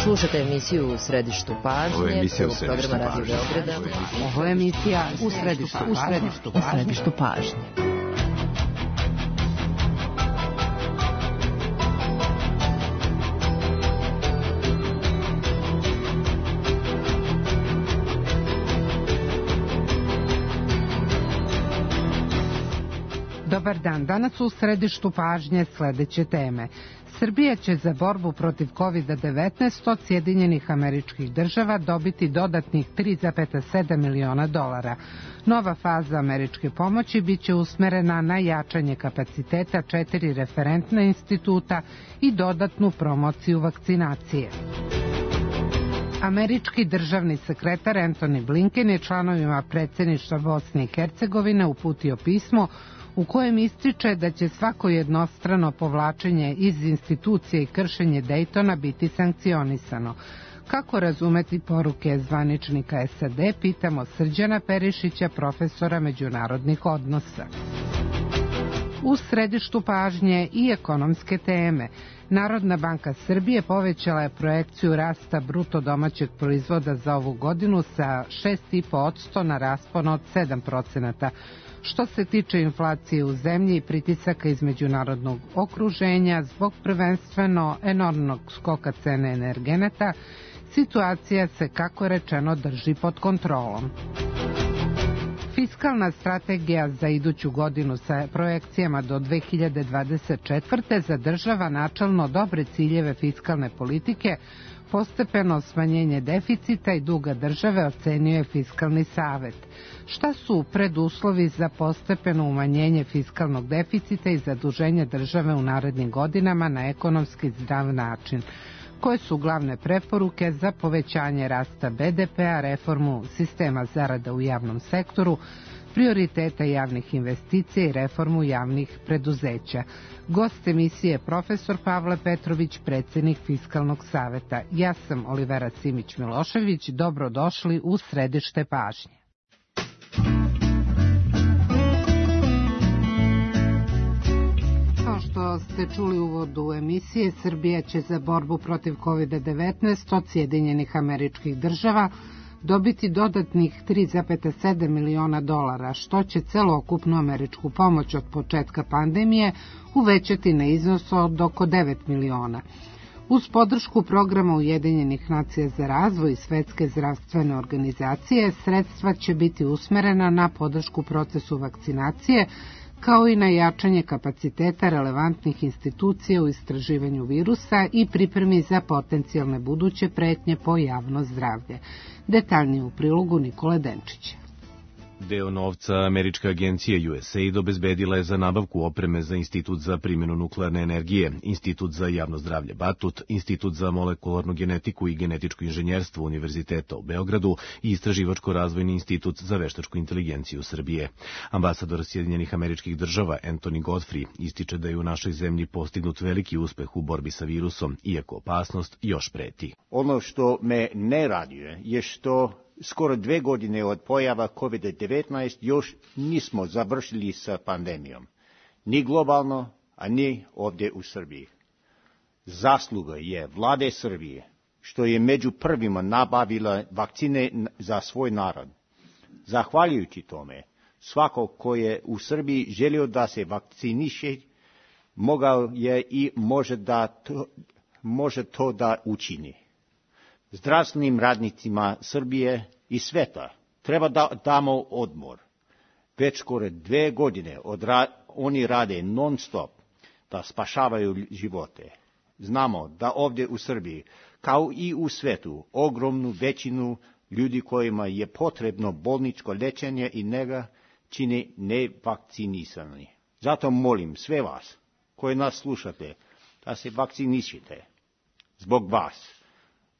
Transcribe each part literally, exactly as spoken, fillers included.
Slušate emisiju U središtu pažnje. Ovo je emisija U središtu pažnje. Ovo je emisija U središtu pažnje. U središtu pažnje. Dobar dan, danas u središtu pažnje sledeće teme. Srbija će za borbu protiv kovid devetnaest od Sjedinjenih Američkih Država dobiti dodatnih tri zarez sedam miliona dolara. Nova faza američke pomoći biće usmerena na jačanje kapaciteta četiri referentna instituta i dodatnu promociju vakcinacije. Američki državni sekretar Antony Blinken je članovima predsjedništva Bosne i Hercegovine uputio pismo u kojem ističe da će svako jednostrano povlačenje iz institucije i kršenje Dejtona biti sankcionisano. Kako razumeti poruke zvaničnika S A D, pitamo Srđana Perišića, profesora međunarodnih odnosa. U središtu pažnje i ekonomske teme. Narodna banka Srbije povećala je projekciju rasta bruto domaćeg proizvoda za ovu godinu sa šest zarez pet posto na raspon od sedam procenata. Što se tiče inflacije u zemlji i pritisaka iz međunarodnog okruženja zbog prvenstveno enormnog skoka cene energenata, situacija se, kako rečeno, drži pod kontrolom. Fiskalna strategija za iduću godinu sa projekcijama do dve hiljade dvadeset četvrte zadržava načelno dobre ciljeve fiskalne politike, postepeno smanjenje deficita i duga države, ocenio je Fiskalni savet. Šta su preduslovi za postepeno umanjenje fiskalnog deficita i zaduženje države u narednim godinama na ekonomski zdrav način? Koje su glavne preporuke za povećanje rasta B D P-a, reformu sistema zarada u javnom sektoru, prioriteta javnih investicija i reformu javnih preduzeća? Gost emisije je profesor Pavle Petrović, predsjednik Fiskalnog saveta. Ja sam Olivera Simić-Milošević. Dobrodošli u središte pažnje. Kao što ste čuli u uvodu emisije, Srbija će za borbu protiv kovid devetnaest od Sjedinjenih Američkih Država dobiti dodatnih tri zarez sedam miliona dolara, što će celokupnu američku pomoć od početka pandemije uvećati na iznos od oko devet miliona. Uz podršku programa Ujedinjenih nacija za razvoj i Svetske zdravstvene organizacije, sredstva će biti usmerena na podršku procesu vakcinacije, kao i na jačanje kapaciteta relevantnih institucija u istraživanju virusa i pripremi za potencijalne buduće pretnje po javno zdravlje. Detaljnije u prilogu Nikole Denčića. Deo novca američka agencija U S A I D obezbedila je za nabavku opreme za Institut za primjenu nuklearne energije, Institut za javno zdravlje Batut, Institut za molekularnu genetiku i genetičko inženjerstvo Univerziteta u Beogradu i Istraživačko-razvojni institut za veštačku inteligenciju Srbije. Ambasador Sjedinjenih Američkih Država Anthony Godfrey ističe da je u našoj zemlji postignut veliki uspeh u borbi sa virusom, iako opasnost još preti. Ono što me ne raduje je što skoro dve godine od pojava kovid devetnaest još nismo završili sa pandemijom. Ni globalno, a ni ovdje u Srbiji. Zasluga je vlade Srbije, što je među prvima nabavila vakcine za svoj narod. Zahvaljujući tome, svako ko je u Srbiji želio da se vakciniše, mogao je i može, da to, može to da učini. Zdravstvenim radnicima Srbije i sveta treba da damo odmor. Već skoro dve godine odra, oni rade non stop da spašavaju živote. Znamo da ovdje u Srbiji, kao i u svetu, ogromnu većinu ljudi kojima je potrebno bolničko lečenje i nega čine nevakcinisani. Zato molim sve vas koji nas slušate da se vakcinišite. Zbog vas,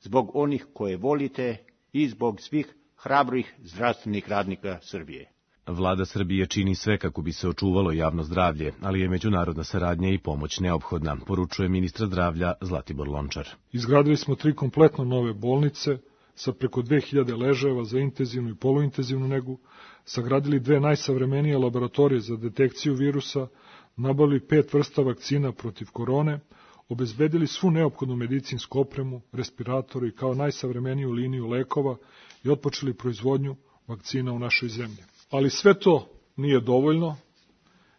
zbog onih koje volite i zbog svih hrabrih zdravstvenih radnika Srbije. Vlada Srbije čini sve kako bi se očuvalo javno zdravlje, ali je međunarodna saradnja i pomoć neophodna, poručuje ministar zdravlja Zlatibor Lončar. Izgradili smo tri kompletno nove bolnice sa preko dve hiljade ležajeva za intenzivnu i poluintenzivnu negu, sagradili dve najsavremenije laboratorije za detekciju virusa, nabavili pet vrsta vakcina protiv korone, obezbedili svu neophodnu medicinsku opremu, respiratore i kao najsavremeniju liniju lekova i otpočeli proizvodnju vakcina u našoj zemlji. Ali sve to nije dovoljno,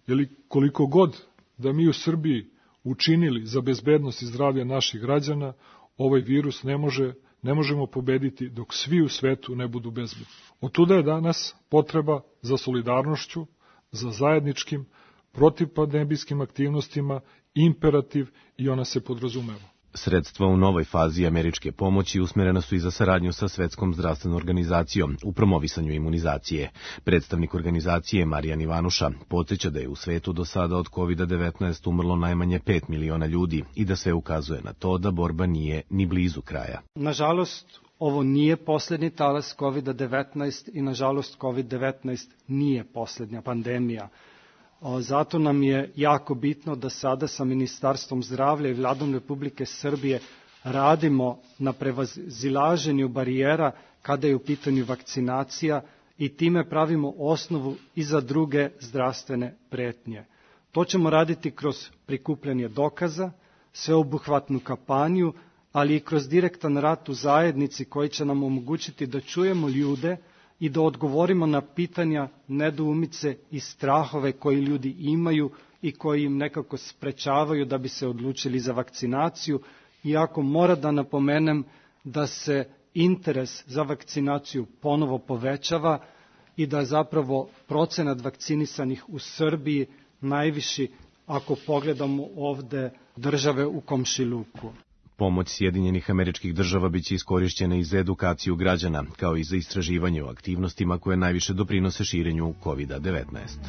jer koliko god da mi u Srbiji učinili za bezbednost i zdravlje naših građana, ovaj virus ne može, ne možemo pobediti dok svi u svetu ne budu bezbedni. Otuda je danas potreba za solidarnošću, za zajedničkim protivpandemijskim aktivnostima, imperativ i ona se podrazumeva. Sredstva u novoj fazi američke pomoći usmerena su i za saradnju sa Svetskom zdravstvenom organizacijom u promovisanju imunizacije. Predstavnik organizacije Marijan Ivanuša podsjeća da je u svetu do sada od kovid devetnaest umrlo najmanje pet miliona ljudi i da sve ukazuje na to da borba nije ni blizu kraja. Nažalost, ovo nije poslednji talas kovid devetnaest i nažalost kovid devetnaest nije poslednja pandemija. Zato nam je jako bitno da sada sa Ministarstvom zdravlja i Vladom Republike Srbije radimo na prevazilaženju barijera kada je u pitanju vakcinacija i time pravimo osnovu i za druge zdravstvene pretnje. To ćemo raditi kroz prikupljanje dokaza, sveobuhvatnu kampanju, ali i kroz direktan rad u zajednici koji će nam omogućiti da čujemo ljude i da odgovorimo na pitanja, nedoumice i strahove koji ljudi imaju i koji im nekako sprečavaju da bi se odlučili za vakcinaciju, iako mora da napomenem da se interes za vakcinaciju ponovo povećava i da je zapravo procenat vakcinisanih u Srbiji najviši ako pogledamo ovde države u komšiluku. Pomoć Sjedinjenih Američkih Država biće iskorišćena i za edukaciju građana, kao i za istraživanje o aktivnostima koje najviše doprinose širenju kovid devetnaest.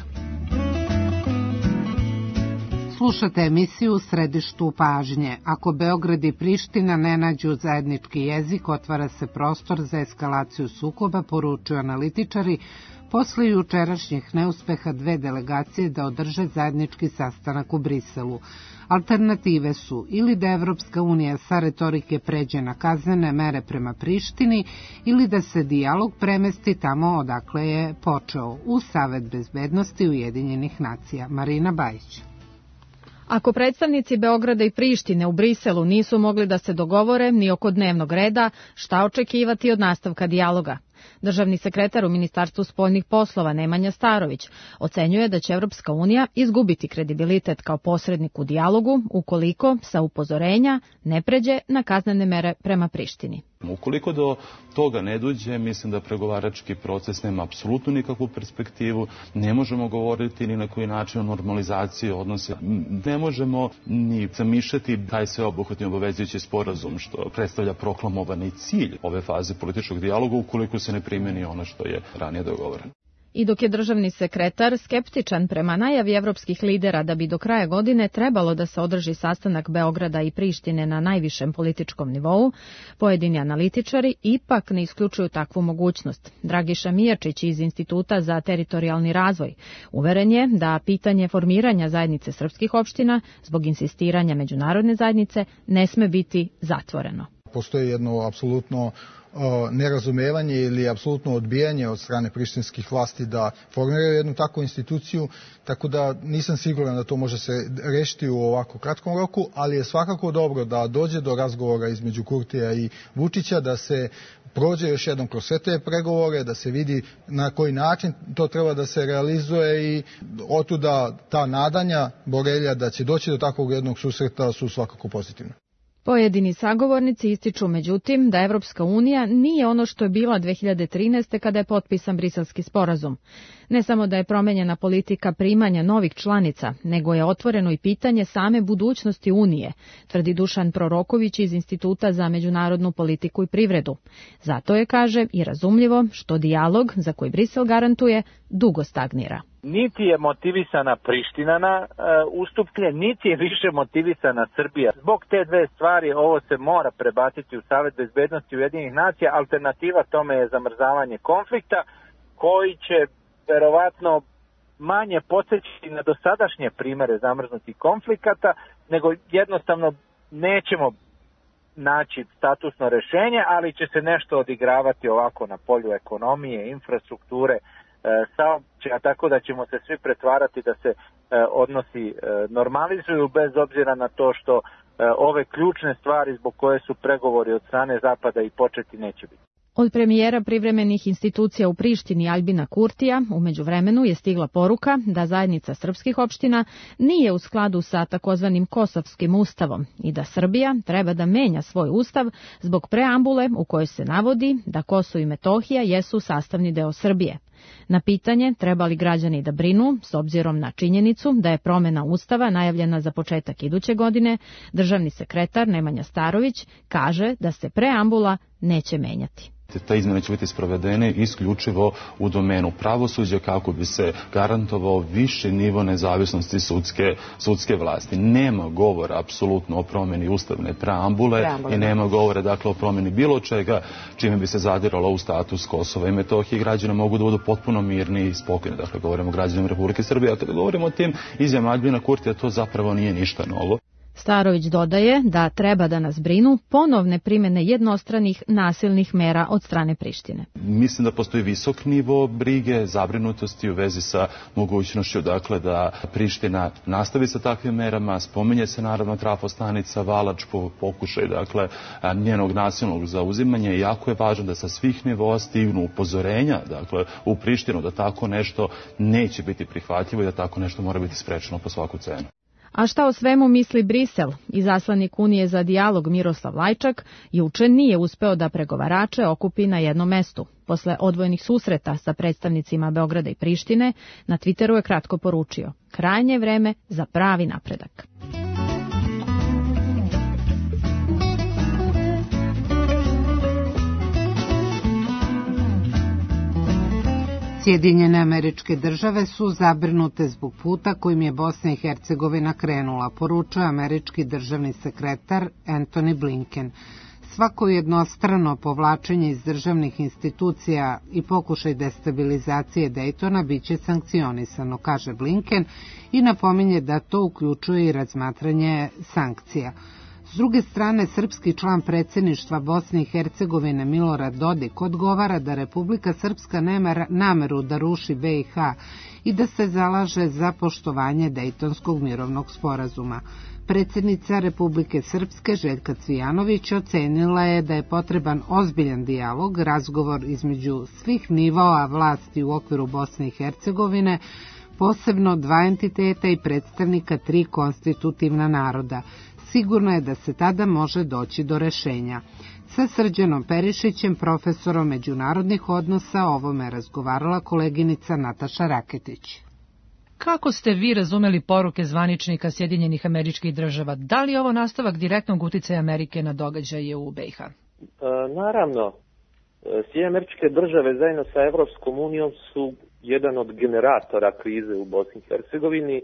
Slušate emisiju u središtu pažnje. Ako Beograd i Priština ne nađu zajednički jezik, otvara se prostor za eskalaciju sukoba, poručuju analitičari, posle jučerašnjih neuspeha dve delegacije da održe zajednički sastanak u Briselu. Alternative su ili da Evropska unija sa retorike pređe na kaznene mere prema Prištini ili da se dijalog premesti tamo odakle je počeo, u Savet bezbednosti Ujedinjenih nacija. Marina Bajić. Ako predstavnici Beograda i Prištine u Briselu nisu mogli da se dogovore ni oko dnevnog reda, šta očekivati od nastavka dijaloga? Državni sekretar u Ministarstvu spoljnih poslova Nemanja Starović ocenjuje da će Evropska unija izgubiti kredibilitet kao posrednik u dijalogu ukoliko sa upozorenja ne pređe na kaznene mere prema Prištini. Ukoliko do toga ne dođe, mislim da pregovarački proces nema apsolutno nikakvu perspektivu, ne možemo govoriti ni na koji način o normalizaciji odnosa, ne možemo ni zamišljati taj sveobuhvatni obavezujući sporazum što predstavlja proklamovani cilj ove faze političkog dijaloga ukoliko se ne primeni ono što je ranije dogovoreno. I dok je državni sekretar skeptičan prema najavi evropskih lidera da bi do kraja godine trebalo da se održi sastanak Beograda i Prištine na najvišem političkom nivou, pojedini analitičari ipak ne isključuju takvu mogućnost. Dragiša Mijačić iz Instituta za teritorijalni razvoj uveren je da pitanje formiranja zajednice srpskih opština zbog insistiranja međunarodne zajednice ne sme biti zatvoreno. Postoji jedno apsolutno nerazumevanje ili apsolutno odbijanje od strane prištinskih vlasti da formiraju jednu takvu instituciju, tako da nisam siguran da to može se rešiti u ovako kratkom roku, ali je svakako dobro da dođe do razgovora između Kurtija i Vučića, da se prođe još jednom kroz sve te pregovore, da se vidi na koji način to treba da se realizuje i otuda ta nadanja Borelja da će doći do takvog jednog susreta su svakako pozitivne. Pojedini sagovornici ističu međutim da Evropska unija nije ono što je bila dve hiljade trinaeste. kada je potpisan Briselski sporazum. Ne samo da je promenjena politika primanja novih članica, nego je otvoreno i pitanje same budućnosti Unije, tvrdi Dušan Proroković iz Instituta za međunarodnu politiku i privredu. Zato je, kaže, i razumljivo što dijalog, za koji Brisel garantuje, dugo stagnira. Niti je motivisana Priština na e, ustupke, niti je više motivisana Srbija. Zbog te dve stvari ovo se mora prebaciti u Savet bezbednosti Ujedinjenih nacija. Alternativa tome je zamrzavanje konflikta koji će verovatno manje podsjećati na dosadašnje primere zamrznutih konflikata, nego jednostavno nećemo naći statusno rešenje, ali će se nešto odigravati ovako na polju ekonomije, infrastrukture, saobraćaja, tako da ćemo se svi pretvarati da se odnosi normalizuju bez obzira na to što ove ključne stvari zbog koje su pregovori od strane Zapada i početi neće biti. Od premijera privremenih institucija u Prištini Aljbina Kurtija u međuvremenu je stigla poruka da zajednica srpskih opština nije u skladu sa takozvanim Kosovskim ustavom i da Srbija treba da menja svoj ustav zbog preambule u kojoj se navodi da Kosovo i Metohija jesu sastavni deo Srbije. Na pitanje treba li građani da brinu, s obzirom na činjenicu da je promena ustava najavljena za početak iduće godine, državni sekretar Nemanja Starović kaže da se preambula neće menjati. Te izmjene će biti sprovedene isključivo u domenu pravosuđa kako bi se garantovao viši nivo nezavisnosti sudske, sudske vlasti. Nema govora apsolutno o promjeni ustavne preambule, preambule i nema govora dakle o promjeni bilo čega čime bi se zadiralo u status Kosova i Metohije. Građani mogu da budu potpuno mirni i spokojni. Dakle, govorimo o građanima Republike Srbije. A kada govorimo o tim izjavama Aljbina Kurtija, to zapravo nije ništa novo. Starović dodaje da treba da nas brinu ponovne primjene jednostranih nasilnih mera od strane Prištine. Mislim da postoji visok nivo brige, zabrinutosti u vezi sa mogućnošću dakle, da Priština nastavi sa takvim merama. Spominje se naravno trafostanica Valač po pokušaj dakle, njenog nasilnog zauzimanja. Jako je važno da sa svih nivoa stignu upozorenja dakle, u Prištinu da tako nešto neće biti prihvatljivo i da tako nešto mora biti sprečeno po svaku cenu. A šta o svemu misli Brisel? Izaslanik Unije za dijalog Miroslav Lajčak juče nije uspeo da pregovarače okupi na jednom mestu. Posle odvojenih susreta sa predstavnicima Beograda i Prištine, na Twitteru je kratko poručio: krajnje je vreme za pravi napredak. Sjedinjene Američke Države su zabrinute zbog puta kojim je Bosna i Hercegovina krenula, poručuje američki državni sekretar Antony Blinken. Svako jednostrano povlačenje iz državnih institucija i pokušaj destabilizacije Daytona biće sankcionisano, kaže Blinken, i napominje da to uključuje i razmatranje sankcija. S druge strane, srpski član predsjedništva Bosne i Hercegovine Milorad Dodik odgovara da Republika Srpska nema nameru da ruši B i H i da se zalaže za poštovanje Dejtonskog mirovnog sporazuma. Predsjednica Republike Srpske Željka Cvijanović ocenila je da je potreban ozbiljan dijalog, razgovor između svih nivoa vlasti u okviru Bosne i Hercegovine, posebno dva entiteta i predstavnika tri konstitutivna naroda. Sigurno je da se tada može doći do rešenja. Sa Srđanom Perišićem, profesorom međunarodnih odnosa, o ovome je razgovarala koleginica Nataša Raketić. Kako ste vi razumeli poruke zvaničnika Sjedinjenih Američkih Država? Da li je ovo nastavak direktnog uticaja Amerike na događaje u B i H? E, naravno, Sjedinjene Američke Države zajedno sa Evropskom unijom su jedan od generatora krize u Bosni i Hercegovini.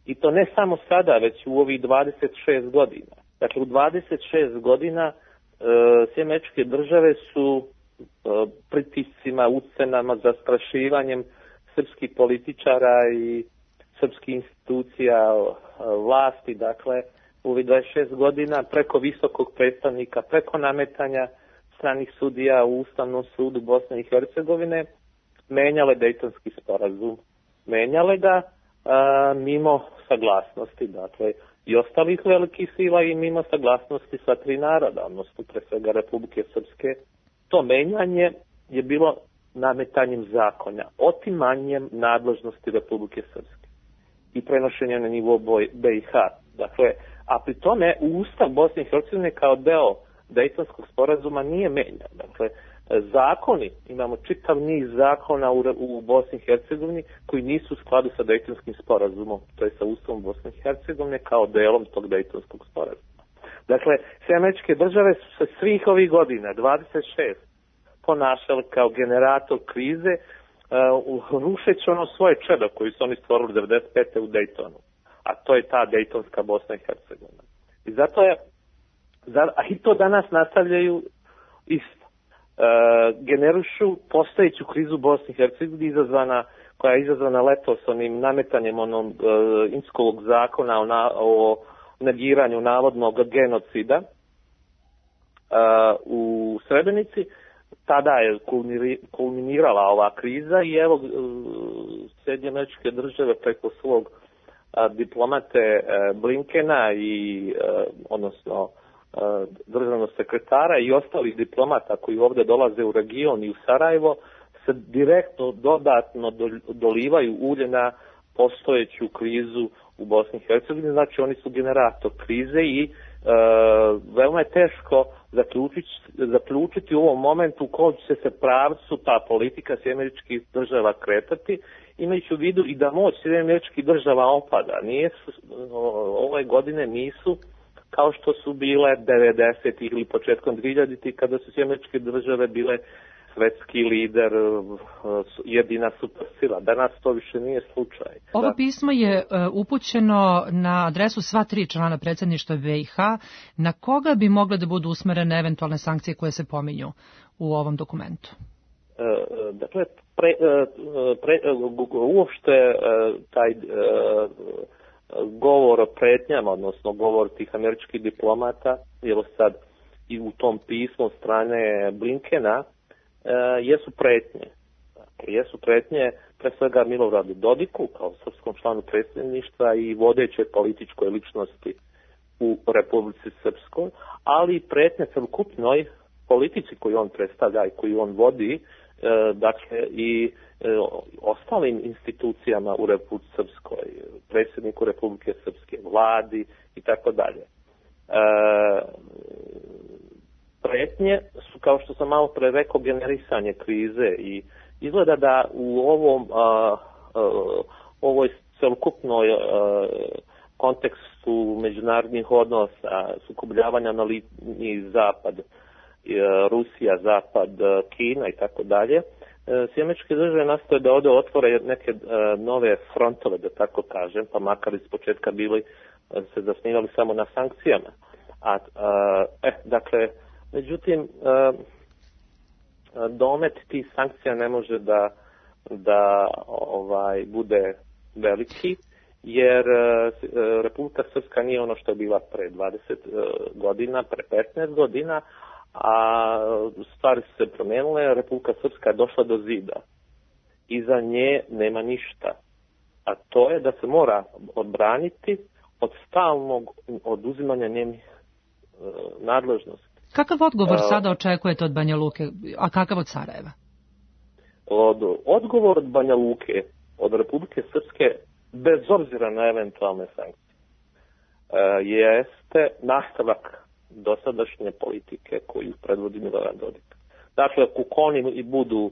I to ne samo sada, već u ovih dvadeset šest godina. Dakle, u dvadeset šest godina e, Sjedinjene Američke Države su e, pritiscima, ucenama, zastrašivanjem srpskih političara i srpskih institucija e, vlasti, dakle, u ovih dvadeset šest godina preko visokog predstavnika, preko nametanja stranih sudija u Ustavnom sudu Bosne i Hercegovine, menjale Dejtonski sporazum. Menjale ga A, mimo saglasnosti, dakle, i ostalih velikih sila i mimo saglasnosti sva tri naroda, odnosno pre svega Republike Srpske. To menjanje je bilo nametanjem zakonja, otimanjem nadležnosti Republike Srpske i prenošenjem na nivo B i H. Dakle, a pri tome Ustav Bosne i Hercegovine kao deo Dejtonskog sporazuma nije menjan. Dakle, zakoni, imamo čitav niz zakona u, u Bosni i Hercegovini koji nisu u skladu sa Dejtonskim sporazumom, to je sa Ustavom Bosne i Hercegovine kao delom tog Dejtonskog sporazuma. Dakle, Sjedinjene Američke Države su se svih ovih godina, dvadeset šest, ponašali kao generator krize, uh, rušeći ono svoje čedo koji su oni stvorili devedeset pete u Dejtonu, a to je ta Dejtonska Bosna i Hercegovina. I zato je, a i to danas nastavljaju isto. Uh, generišu postojeću krizu Bosne i Hercegovine izazvana, koja je izazvana letos onim nametanjem onog uh, Inskovog zakona o, na, o negiranju navodnog genocida uh, u Srebrenici. Tada je kulminirala ova kriza i evo uh, Sjedinjene Američke Države preko svog uh, diplomate Blinkena i odnosno državnog sekretara i ostalih diplomata koji ovde dolaze u region i u Sarajevo se direktno dodatno dolivaju ulje na postojeću krizu u Bosni i Hercegovini, znači oni su generator krize i e, veoma je teško zaključiti, zaključiti u ovom momentu u kojem će se pravcu ta politika Sjedinjenih Američkih Država kretati, imajući u vidu i da moć Sjedinjenih Američkih Država opada. Nije, ove godine nisu kao što su bile devedesetih ili početkom dvihiljaditih kada su Sjedinjene Američke Države bile svetski lider, jedina supersila. Danas to više nije slučaj. Ovo pismo je upućeno na adresu sva tri člana predsjedništva B i H. Na koga bi mogle da budu usmerene eventualne sankcije koje se pominju u ovom dokumentu? Dakle, pre, pre, uopšte taj govor o pretnjama, odnosno govor tih američkih diplomata, jer sad i u tom pismu strane Blinkena, jesu pretnje. Jesu pretnje pre svega Miloradu Dodiku kao srpskom članu predsjedništva i vodećoj političkoj ličnosti u Republici Srpskoj, ali i pretnje celokupnoj politici koju on predstavlja i koju on vodi, dakle i ostalim institucijama u Republici Srpskoj, predsjedniku Republike Srpske, vladi i tako dalje. Pretnje su, kao što sam malo pre rekao, generisanje krize i izgleda da u ovom a, a, ovoj celokupnoj a, kontekstu međunarodnih odnosa, sukobljavanja na liniji Zapad, a, Rusija, Zapad, a, Kina i tako dalje, Sjedinjene Američke Države nastoje da ovde otvore neke a, nove frontove, da tako kažem, pa makar iz početka bili a, se zasnivali samo na sankcijama. A, a, eh, dakle, međutim, domet tih sankcija ne može da, da ovaj, bude veliki, jer Republika Srpska nije ono što je bila pre dvadeset godina, pre petnaest godina, a stvari su se promenile, Republika Srpska je došla do zida. Iza nje nema ništa. A to je da se mora odbraniti od stalnog oduzimanja njenih nadležnosti. Kakav odgovor sada očekujete od Banja Luke, a kakav od Sarajeva? Od, odgovor od Banja Luke, od Republike Srpske, bez obzira na eventualne sankcije, jeste nastavak dosadašnje politike koju predvodi Milorad Dodik. Dakle, ako oni i budu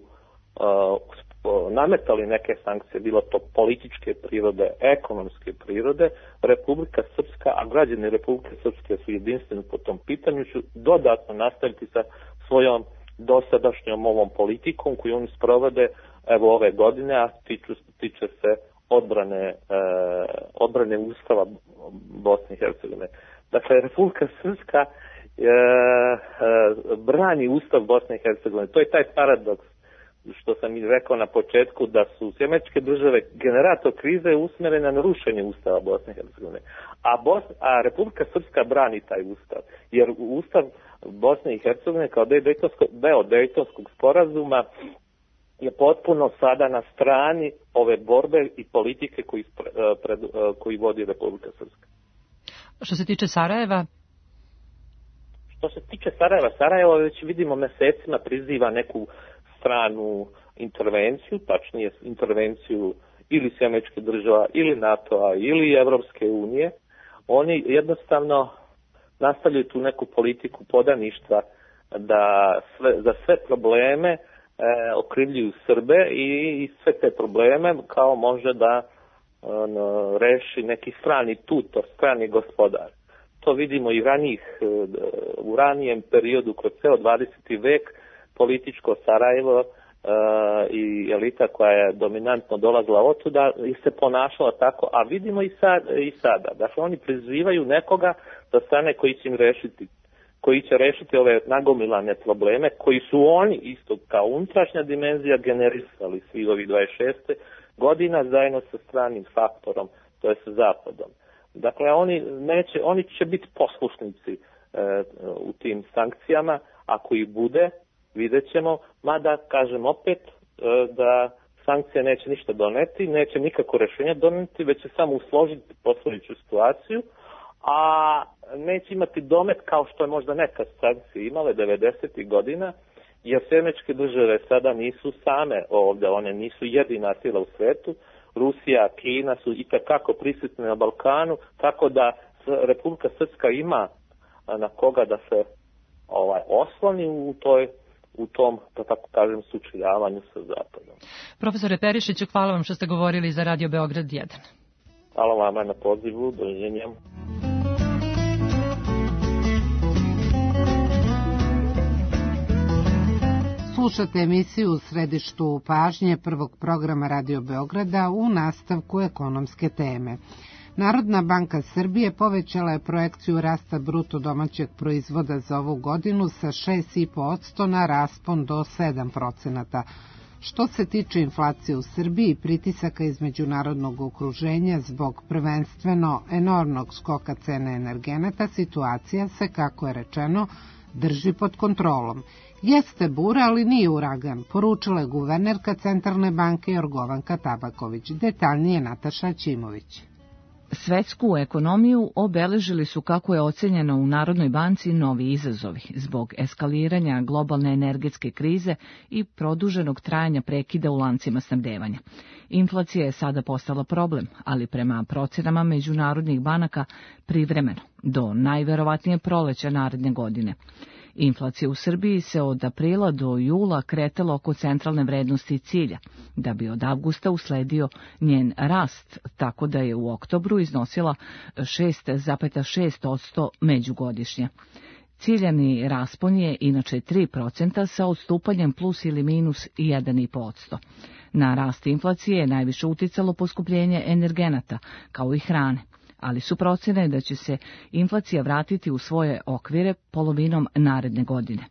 nametali neke sankcije, bilo to političke prirode, ekonomske prirode, Republika Srpska, a građani Republike Srpske su jedinstveni po tom pitanju, ću dodatno nastaviti sa svojom dosadašnjom ovom politikom koju oni sprovode evo ove godine, a tiču, tiče se odbrane, e, odbrane Ustava Bosne i Hercegovine. Dakle, Republika Srpska e, e, brani Ustav Bosne i Hercegovine. To je taj paradoks što sam i rekao na početku, da su Sjedinjene Američke Države generator krize usmjerene na rušenje Ustava Bosne i Hercegovine. A, Bos, a Republika Srpska brani taj Ustav, jer Ustav Bosne i Hercegovine kao deo Dejtonskog sporazuma je potpuno sada na strani ove borbe i politike koji, pred, koji vodi Republika Srpska. Što se tiče Sarajeva? Što se tiče Sarajeva, Sarajevo već vidimo mesecima priziva neku stranu intervenciju, tačnije intervenciju ili Sjedinjenih Američkih Država, ili NATO-a, ili Evropske unije. Oni jednostavno nastavljaju tu neku politiku podaništva da sve, za sve probleme e, okrivljuju Srbe i, i sve te probleme kao može da on, reši neki strani tutor, strani gospodar. To vidimo i ranijih, u ranijem periodu kroz ceo dvadeseti vek, političko Sarajevo uh, i elita koja je dominantno dolazila otuda i se ponašala tako, a vidimo i, sad, i sada. Dakle, oni prizivaju nekoga da stane koji će im rešiti, koji će rešiti ove nagomilane probleme, koji su oni isto kao unutrašnja dimenzija generisali svi ovih dvadeset šest godina zajedno sa stranim faktorom, to je sa Zapadom. Dakle, oni, neće, oni će biti poslušnici uh, u tim sankcijama, ako ih bude, vidjet ćemo, mada, kažem opet, da sankcija neće ništa doneti, neće nikako rešenja doneti, već će samo usložiti postojeću situaciju, a neće imati domet kao što je možda nekad sankcije imale devedesetih godina, jer Američke države sada nisu same ovde, one nisu jedina sila u svetu. Rusija, Kina su itekako prisutne na Balkanu, tako da Republika Srpska ima na koga da se ovaj osloni u toj u tom, da tako kažem, sučeljavanju sa Zapadom. Profesore Perišiću, hvala vam što ste govorili za Radio Beograd jedan. Hvala vama na pozivu, doviđenja. Slušate emisiju U središtu pažnje prvog programa Radio Beograda u nastavku ekonomske teme. Narodna banka Srbije povećala je projekciju rasta bruto domaćeg proizvoda za ovu godinu sa šest zarez pet posto na raspon do sedam procenata. Što se tiče inflacije u Srbiji i pritisaka iz međunarodnog okruženja zbog prvenstveno enormnog skoka cene energenata, situacija se, kako je rečeno, drži pod kontrolom. Jeste bura, ali nije uragan, poručila je guvernerka Centralne banke Jorgovanka Tabaković. Detaljnije Nataša Ćimović. Svetsku ekonomiju obeležili su, kako je ocenjeno u Narodnoj banci, novi izazovi zbog eskaliranja globalne energetske krize i produženog trajanja prekida u lancima snabdevanja. Inflacija je sada postala problem, ali prema procenama međunarodnih banaka privremeno, do najverovatnije proleća naredne godine. Inflacija u Srbiji se od aprila do jula kretala oko centralne vrednosti cilja, da bi od avgusta usledio njen rast, tako da je u oktobru iznosila šest zarez šest posto međugodišnje. Ciljani raspon je inače tri procenta sa odstupanjem plus ili minus jedan zarez pet posto. Na rast inflacije je najviše uticalo poskupljenje energenata, kao i hrane, ali su procene da će se inflacija vratiti u svoje okvire polovinom naredne godine.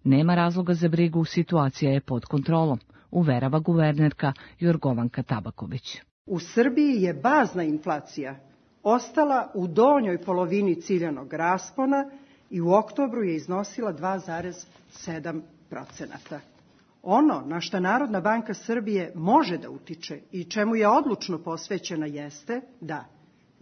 Nema razloga za brigu, situacija je pod kontrolom, uverava guvernerka Jorgovanka Tabaković. U Srbiji je bazna inflacija ostala u donjoj polovini ciljanog raspona i u oktobru je iznosila dva zarez sedam procenata. Ono na što Narodna banka Srbije može da utiče i čemu je odlučno posvećena jeste da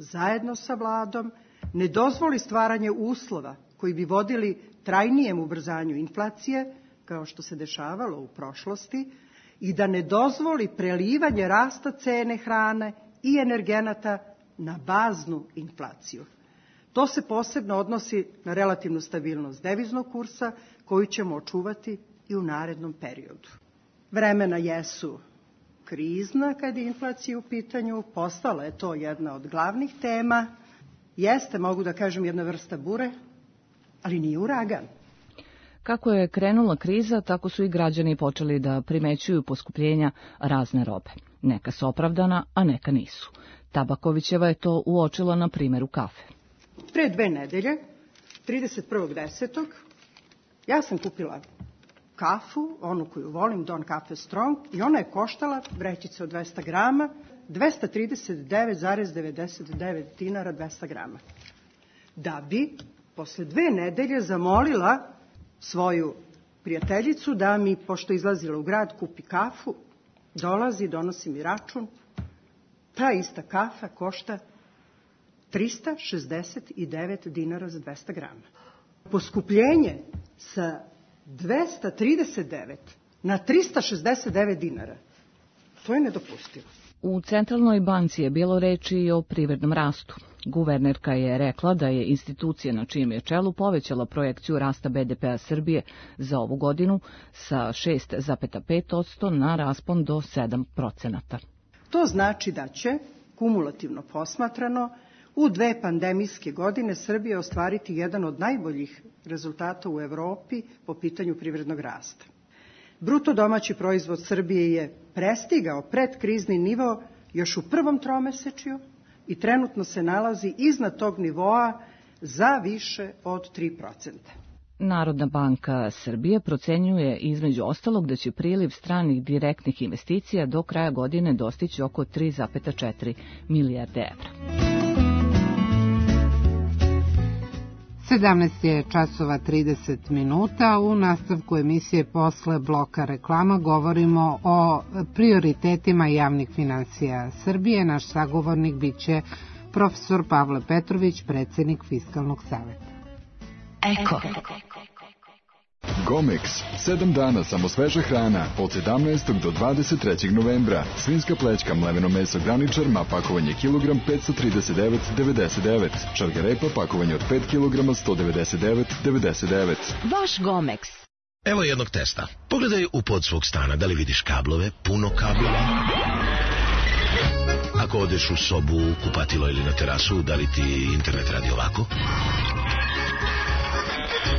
zajedno sa vladom ne dozvoli stvaranje uslova koji bi vodili trajnijem ubrzanju inflacije, kao što se dešavalo u prošlosti, i da ne dozvoli prelivanje rasta cene hrane i energenata na baznu inflaciju. To se posebno odnosi na relativnu stabilnost deviznog kursa, koju ćemo očuvati i u narednom periodu. Vremena jesu krizna kad je inflacija u pitanju, postala je to jedna od glavnih tema, jeste, mogu da kažem, jedna vrsta bure, ali nije uragan. Kako je krenula kriza, tako su i građani počeli da primećuju poskupljenja razne robe. Neka su opravdana, a neka nisu. Tabakovićeva je to uočila na primjeru kafe. Pre dve nedelje, trideset prvog desetog ja sam kupila kafu, onu koju volim, Don Cafe Strong, i ona je koštala, vrećica od dvesta grama, dvesta trideset devet zarez devedeset devet dinara dvesta grama. Da bi posle dve nedelje zamolila svoju prijateljicu da mi, pošto izlazila u grad, kupi kafu, dolazi, donosi mi račun, ta ista kafa košta trista šezdeset devet dinara za dvesta grama. Poskupljenje sa dvesta trideset devet na trista šezdeset devet dinara, to je nedopustivo. U Centralnoj banci je bilo reči i o privrednom rastu. Guvernerka je rekla da je institucija na čijem je čelu povećala projekciju rasta be de pea Srbije za ovu godinu sa šest zarez pet posto na raspon do sedam procenata. To znači da će, kumulativno posmatrano, u dve pandemijske godine Srbija ostvariti jedan od najboljih rezultata u Evropi po pitanju privrednog rasta. Bruto domaći proizvod Srbije je prestigao predkrizni nivo još u prvom tromesečju i trenutno se nalazi iznad tog nivoa za više od tri procenta. Narodna banka Srbije procenjuje između ostalog da će priliv stranih direktnih investicija do kraja godine dostići oko tri zarez četiri milijarde evra. sedamnaest je časova trideset minuta. U nastavku emisije posle bloka reklama govorimo o prioritetima javnih finansija Srbije. Naš sagovornik biće profesor Pavle Petrović, predsjednik Fiskalnog saveta. Eko. Gomex, sedam dana samo sveža hrana, od sedamnaestog do dvadeset trećeg novembra. Svinjska plećka, mleveno meso graničar, ma pakovanje kilogram petsto trideset devet devedeset devet. Šargarepa, pakovanje od pet kilograma sto devedeset devet devedeset devet. Vaš Gomex. Evo jednog testa. Pogledaj u pod svog stana, da li vidiš kablove, puno kablova. Ako odeš u sobu, kupatilo ili na terasu, da li ti internet radi ovako?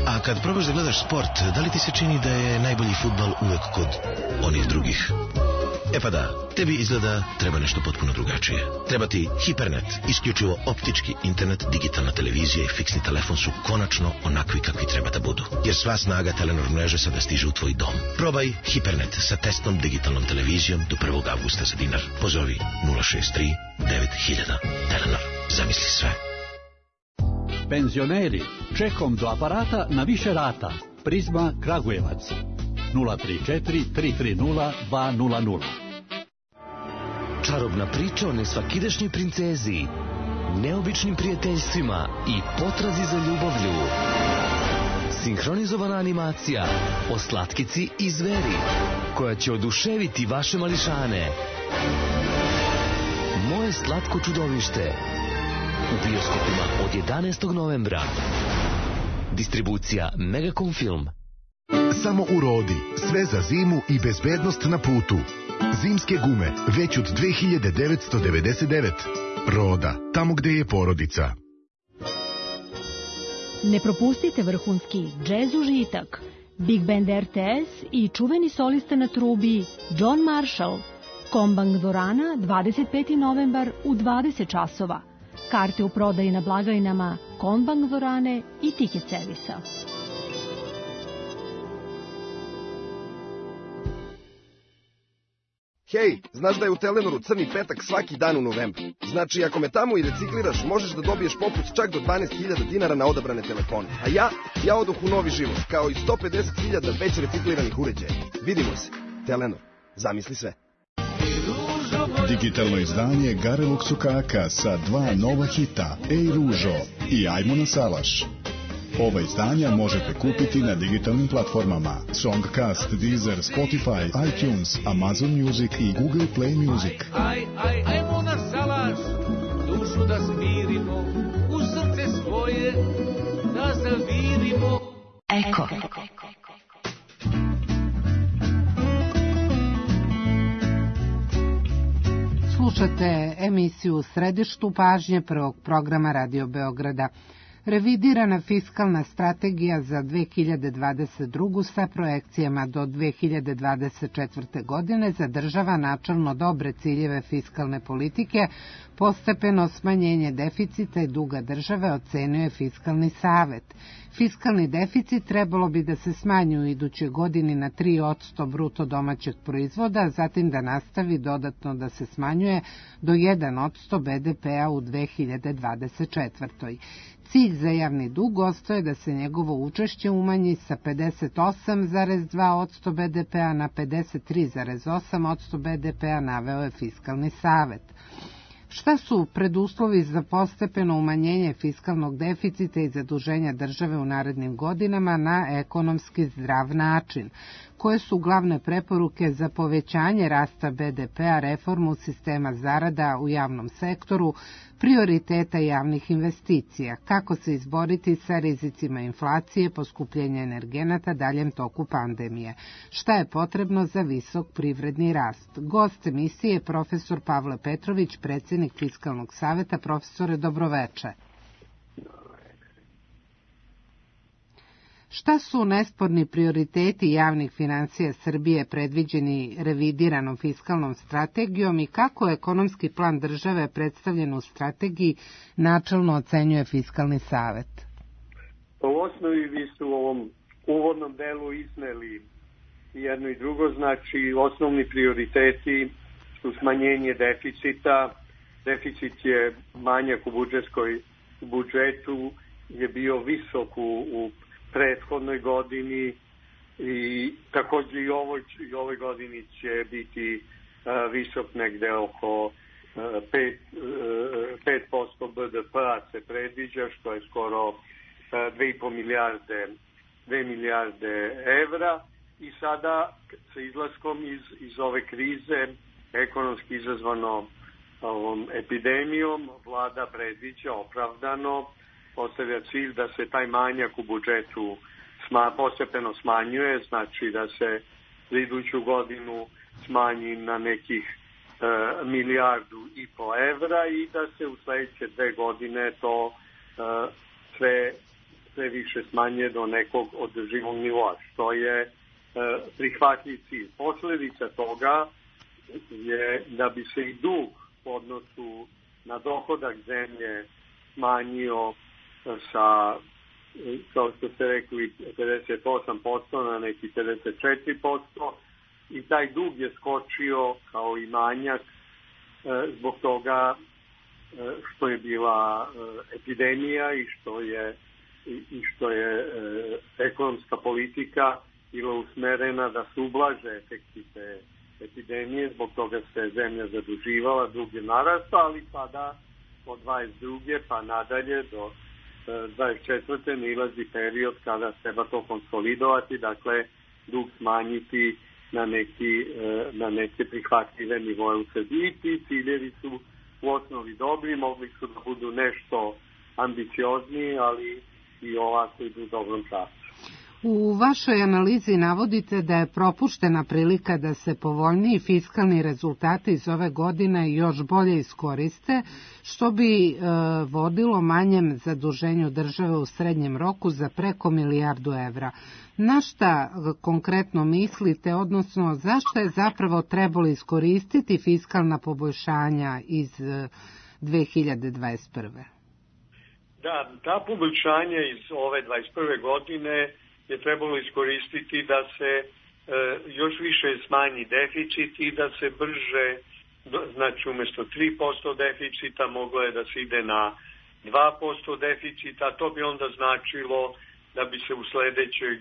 A kad probaš da gledaš sport, da li ti se čini da je najbolji fudbal uvek kod onih drugih? E pa da, tebi izgleda treba nešto potpuno drugačije. Treba ti Hipernet, isključivo optički internet, digitalna televizija i fiksni telefon su konačno onakvi kakvi treba da budu. Jer sva snaga Telenor mreže sada stiže u tvoj dom. Probaj Hipernet sa testnom digitalnom televizijom do prvog avgusta za dinar. Pozovi nula šest tri devet hiljada. Telenor, zamisli sve. Penzioneri, čekom do aparata na više rata. Prizma Kragujevac. nula tri četiri tri tri nula dva nula nula. Čarobna priča o nesvakidašnjoj princezi, neobičnim prijateljstvima i potrazi za ljubavlju. Sinhronizovana animacija o slatkici i zveri, koja će oduševiti vaše mališane. Moje slatko čudovište. U bioskopima od jedanaestog novembra. Distribucija Megacom Film. Samo u Rodi, sve za zimu i bezbednost na putu. Zimske gume, već od dve hiljade devetsto devedeset devet. Roda, tamo gde je porodica. Ne propustite vrhunski džez užitak, Big Band R T S i čuveni solista na trubi John Marshall. Kombank dvorana, dvadeset peti novembar u dvadeset časova. Karte u prodaji na blagajnama Kombank dvorane i Tiket servisa. Hej, znaš da je u Telenoru crni petak svaki dan u novembru? Znači, ako me tamo i recikliraš, možeš da dobiješ popust čak do dvanaest hiljada dinara na odabrane telefone. A ja, ja odoh u novi život, kao i sto pedeset hiljada već recikliranih uređaja. Vidimo se. Telenor, zamisli sve. Digitalno izdanje Garelog Sukaka sa dva nova hita, Ej Ružo i Ajmo na salaš. Ova izdanja možete kupiti na digitalnim platformama Songcast, Deezer, Spotify, iTunes, Amazon Music i Google Play Music. Aj, aj, ajmo na salaš, dušu da smirimo, u srce svoje da zavirimo. Eko. Slušate emisiju U središtu pažnje prvog programa Radio Beograda. Revidirana fiskalna strategija za dve hiljade dvadeset drugu sa projekcijama do dve hiljade dvadeset četvrte. godine zadržava načelno dobre ciljeve fiskalne politike, postepeno smanjenje deficita i duga države ocenio je Fiskalni savet. Fiskalni deficit trebalo bi da se smanji u idućoj godini na tri posto bruto domaćeg proizvoda, zatim da nastavi dodatno da se smanjuje do jedan posto be de pea u dve hiljade dvadeset četvrtoj. Cilj za javni dug ostaje da se njegovo učešće umanji sa pedeset osam zarez dva posto be de pea na pedeset tri zarez osam posto be de pea, naveo je Fiskalni savet. Šta su preduslovi za postepeno umanjenje fiskalnog deficita i zaduženja države u narednim godinama na ekonomski zdrav način? Koje su glavne preporuke za povećanje rasta be de pea, reformu sistema zarada u javnom sektoru, prioriteta javnih investicija? Kako se izboriti sa rizicima inflacije, poskupljenja energenata daljem toku pandemije? Šta je potrebno za visok privredni rast? Gost emisije je profesor Pavle Petrović, predsjednik Fiskalnog saveta. Profesore, dobroveče. Šta su nesporni prioriteti javnih financija Srbije predviđeni revidiranom fiskalnom strategijom i kako ekonomski plan države predstavljen u strategiji načelno ocenjuje Fiskalni savet? U osnovi vi ste u ovom uvodnom delu izneli jedno i drugo, znači osnovni prioriteti su smanjenje deficita. Deficit je manjak u budžetskoj budžetu je bio visok u, u prethodnoj godini i takođe i ovoj, i ovoj godini će biti uh, visok negde oko uh, pet posto B D P-a se predviđa, što je skoro uh, dve i po milijarde, dve milijarde evra. I sada sa izlaskom iz, iz ove krize, ekonomski izazvano ovom epidemijom, vlada predviđa opravdano, postavlja cilj da se taj manjak u budžetu sma, postepeno smanjuje, znači da se za iduću godinu smanji na nekih e, milijardu i po evra i da se u sledeće dve godine to e, sve, sve više smanje do nekog održivog nivoa, što je e, prihvatljiv cilj. Posledica toga je da bi se i dug u odnosu na dohodak zemlje smanjio sa, kao što ste rekli, pedeset osam posto na neki pedeset četiri posto i taj dug je skočio kao i manjak zbog toga što je bila epidemija i što je, i što je ekonomska politika bila usmerena da se ublaže efekti te epidemije, zbog toga se zemlja zaduživala, dug je narastao, ali sada od dvadeset druge pa nadalje do dvadeset četvrte nilazi period kada treba to konsolidovati, dakle dug smanjiti na neki, na neke prihvatljive nivoje u Srbiji. Ti ciljevi su u osnovi dobri, mogli su da budu nešto ambiciozniji, ali i ovako idu u dobrom času. U vašoj analizi navodite da je propuštena prilika da se povoljniji fiskalni rezultati iz ove godine još bolje iskoriste, što bi e, vodilo manjem zaduženju države u srednjem roku za preko milijardu evra. Na šta konkretno mislite, odnosno zašto je zapravo trebalo iskoristiti fiskalna poboljšanja iz dve hiljade dvadeset prve. Da, ta poboljšanja iz ove dvadeset prve godine je trebalo iskoristiti da se e, još više smanji deficit i da se brže, znači umjesto tri posto deficita moglo je da se ide na dva posto deficita, to bi onda značilo da bi se u sledećoj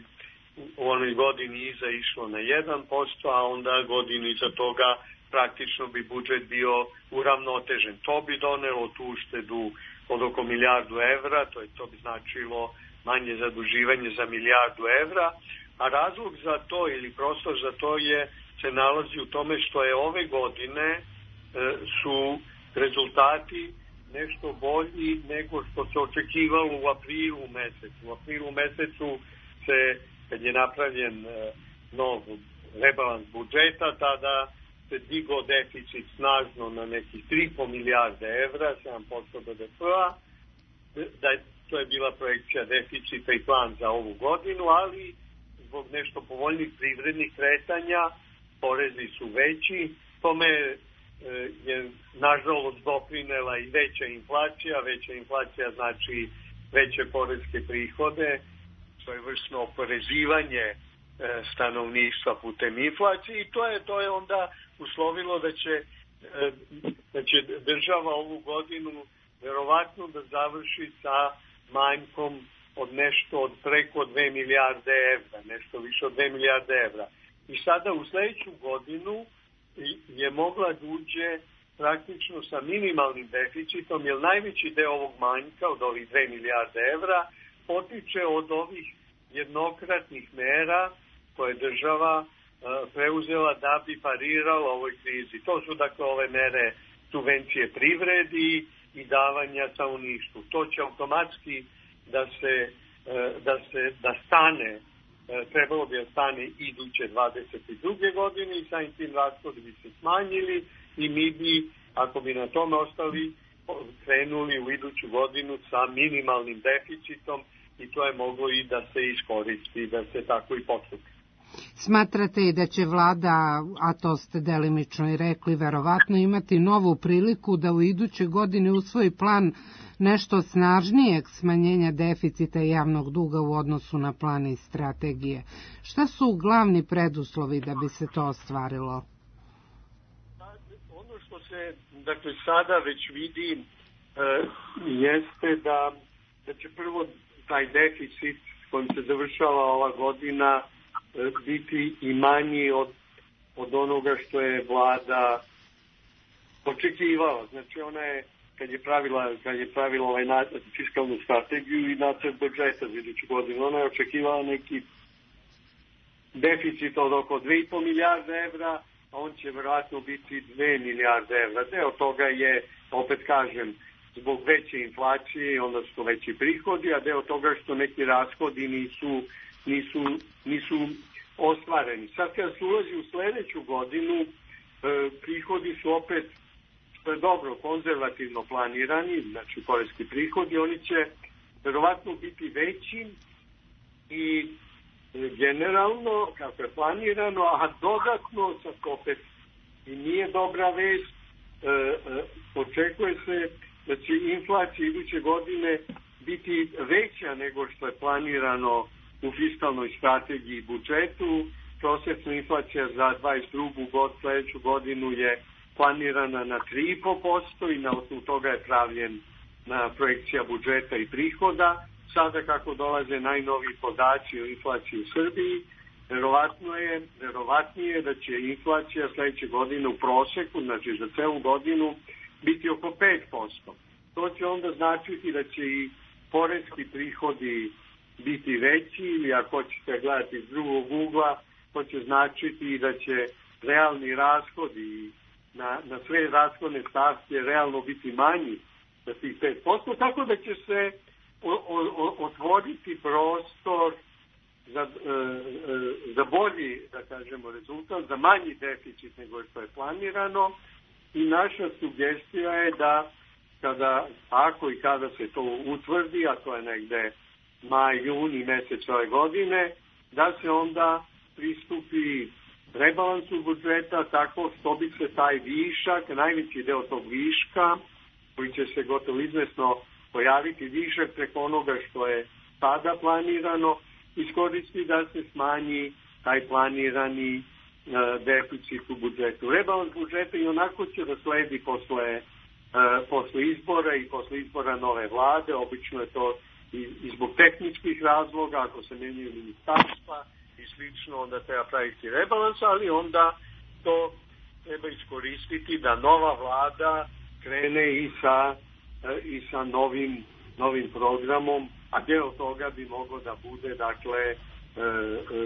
u onoj godini iza išlo na jedan posto, a onda godinu iza toga praktično bi budžet bio uravnotežen. To bi donelo tu uštedu od oko milijardu evra, to, je, to bi značilo manje zaduživanje za milijardu evra, a razlog za to ili prostor za to je se nalazi u tome što je ove godine e, su rezultati nešto bolji nego što se očekivalo u aprilu mesecu. U aprilu mesecu se, kad je napravljen e, nov rebalans budžeta, tada se digao deficit snažno na nekih tri i po milijarde evra, sedam posto B D P-a, da je to je bila projekcija deficita i plan za ovu godinu, ali zbog nešto povoljnih privrednih kretanja, porezi su veći, tome je nažalost doprinela i veća inflacija, veća inflacija znači veće poreske prihode, to je vršno oporezivanje stanovništva putem inflacije i to je, to je onda uslovilo da će, da će država ovu godinu verovatno da završi sa manjkom od nešto od preko dve milijarde evra, nešto više od dve milijarde evra. I sada u sledeću godinu je mogla da uđe praktično sa minimalnim deficitom, jer najveći deo ovog manjka od ovih dve milijarde evra potiče od ovih jednokratnih mera koje država preuzela da bi parirala ovoj krizi. To su dakle ove mere subvencije privredi i davanja stanovništvu. To će automatski da se da se da stane, trebalo bi da stane iduće dvadeset druge godine i samim tim rashodi bi se smanjili i mi bi, ako bi na tome ostali, krenuli u iduću godinu sa minimalnim deficitom i to je moglo i da se iskoristi, da se tako i postupi. Smatrate i da će vlada, a to ste delimično i rekli, verovatno imati novu priliku da u idućoj godini usvoji plan nešto snažnijeg smanjenja deficita javnog duga u odnosu na plan i strategije. Šta su glavni preduslovi da bi se to ostvarilo? Ono što se dakle sada već vidi e, jeste da da će prvo taj deficit kojim se završava ova godina biti i manji od, od onoga što je vlada očekivala. Znači ona je, kad je pravila, kad je pravila ovaj nacrt, fiskalnu strategiju i nacrt budžeta za iduću godinu, ona je očekivala neki deficit od oko dve i po milijarde evra, a on će verovatno biti dve milijarde evra. Deo toga je, opet kažem, zbog veće inflacije, onda su to veći prihodi, a deo toga što neki rashodi nisu, nisu, nisu ostvareni. Sad kad se ulazi u sledeću godinu, eh, prihodi su opet, što je dobro, konzervativno planirani, znači poreski prihodi, oni će verovatno biti veći i generalno, kako je planirano, a dodatno, sad opet i nije dobra vest, e, e, očekuje se da će inflacija iduće godine biti veća nego što je planirano u fiskalnoj strategiji i budžetu. Prosječna inflacija za dvadeset drugu god, sledeću godinu je planirana na tri i po posto i na osnovu toga je pravljen na projekcija budžeta i prihoda. Sada kako dolaze najnoviji podaci o inflaciji u Srbiji, verovatno je, verovatnije da će inflacija sledeće godine u proseku, znači za celu godinu, biti oko pet posto. To će onda značiti da će i poreski prihodi biti veći, ili ako ćete gledati iz drugog ugla, to će značiti da će realni rashodi na, na sve rashodne stavke realno biti manji za tih pet posto, tako da će se o, o, otvoriti prostor za, e, e, za bolji, da kažemo, rezultat, za manji deficit nego što je planirano, i naša sugestija je da kada, ako i kada se to utvrdi, a to je negde maj, juni mesec ove godine, da se onda pristupi rebalansu budžeta tako što bi se taj višak, najveći deo tog viška, koji će se gotovo izvesno pojaviti višak preko onoga što je sada planirano, iskoristi da se smanji taj planirani e, deficit u budžetu. Rebalans budžeta i onako će da sledi posle, e, posle izbora i posle izbora nove vlade. Obično je to i, i zbog tehničkih razloga, ako se menjaju ministarstva i slično, onda treba praviti rebalans, ali onda to treba iskoristiti da nova vlada krene i sa, i sa novim, novim programom, a deo toga bi moglo da bude, dakle,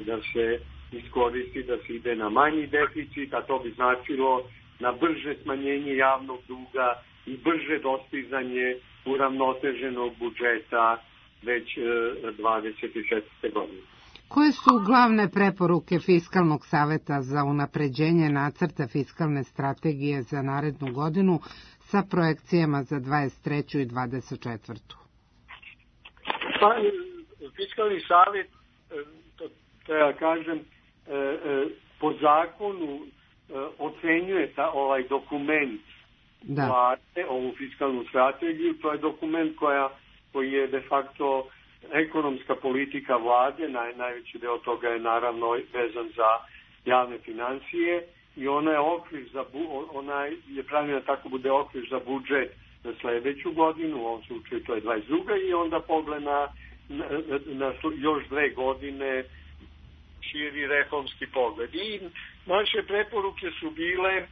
da se iskoristi, da se ide na manji deficit, a to bi značilo na brže smanjenje javnog duga i brže dostizanje uravnoteženog budžeta već dvadeset četvrte godine. Koje su glavne preporuke Fiskalnog saveta za unapređenje nacrta fiskalne strategije za narednu godinu sa projekcijama za dvadeset treću i dvadeset četvrtu? Pa, Fiskalni savet, to treba kažem, po zakonu ocenjuje ta, ovaj dokument da. Vlade, ovu fiskalnu strategiju. To je dokument koja, koji je de facto ekonomska politika vlade, naj, najveći deo toga je naravno vezan za javne financije i ona je okvir za ona je pravljena tako bude okvir za budžet za sledeću godinu, u ovom slučaju to je dvadeset druga i onda pogled na, na, na još dve godine širi reformski pogled. I naše preporuke su bile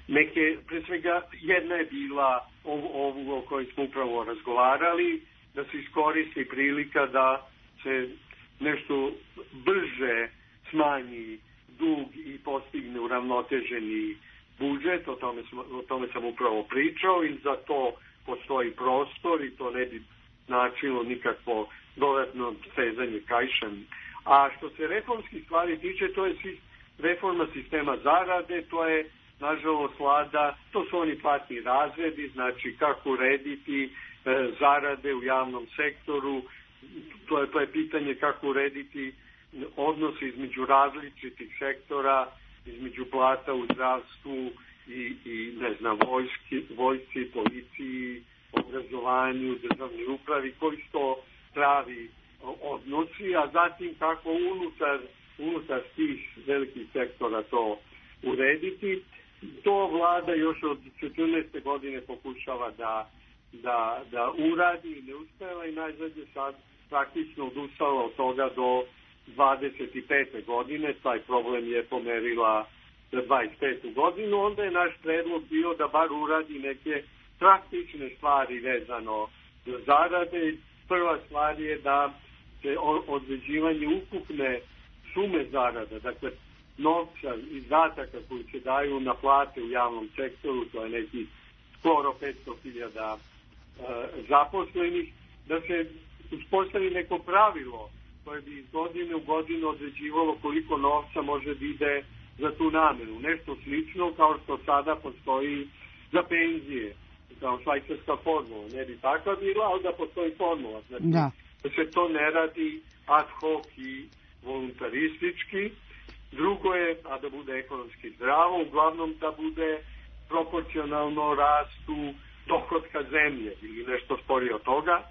neke, pre svega jedna je bila ovu, ovu o kojoj smo upravo razgovarali, da se iskoristi prilika da se nešto brže smanji dug i postigne uravnoteženi budžet, o tome, sam, o tome sam upravo pričao i za to postoji prostor i to ne bi značilo nikakvo dodatno stezanje kaišem. A što se reformskih stvari tiče, to je reforma sistema zarade, to je nažalost vlada, to su oni platni razredi, znači kako urediti e, zarade u javnom sektoru, to je, to je pitanje kako urediti odnose između različitih sektora, između plata u zdravstvu i, i ne znam, vojski, vojsci, policiji, obrazovanju, državnoj upravi, koji su to pravi odnosi, a zatim kako unutar, unutar tih velikih sektora to urediti. To vlada još od četrnaeste godine pokušava da, da, da uradi i ne uspela i najzad je sad praktično odustala od toga do dvadeset pete godine, taj problem je pomerila za dvadeset petu godinu, onda je naš predlog bio da bar uradi neke praktične stvari vezano za zarade. Prva stvar je da se određivanje ukupne sume zarada, dakle novca, izdataka koji se daju na plate u javnom sektoru, to je neki skoro petsto hiljada e, zaposlenih, da se uspostavi neko pravilo koje bi iz godine u godinu određivalo koliko novca može da ide za tu namenu. Nešto slično kao što sada postoji za penzije, kao švajcarska formula. Ne bi takva bila, ali da postoji formula. Znači, da. da se to ne radi ad hoc i voluntaristički. Drugo je, a da bude ekonomski zdravo, uglavnom da bude proporcionalno rastu dohotka zemlje ili nešto sporije od toga.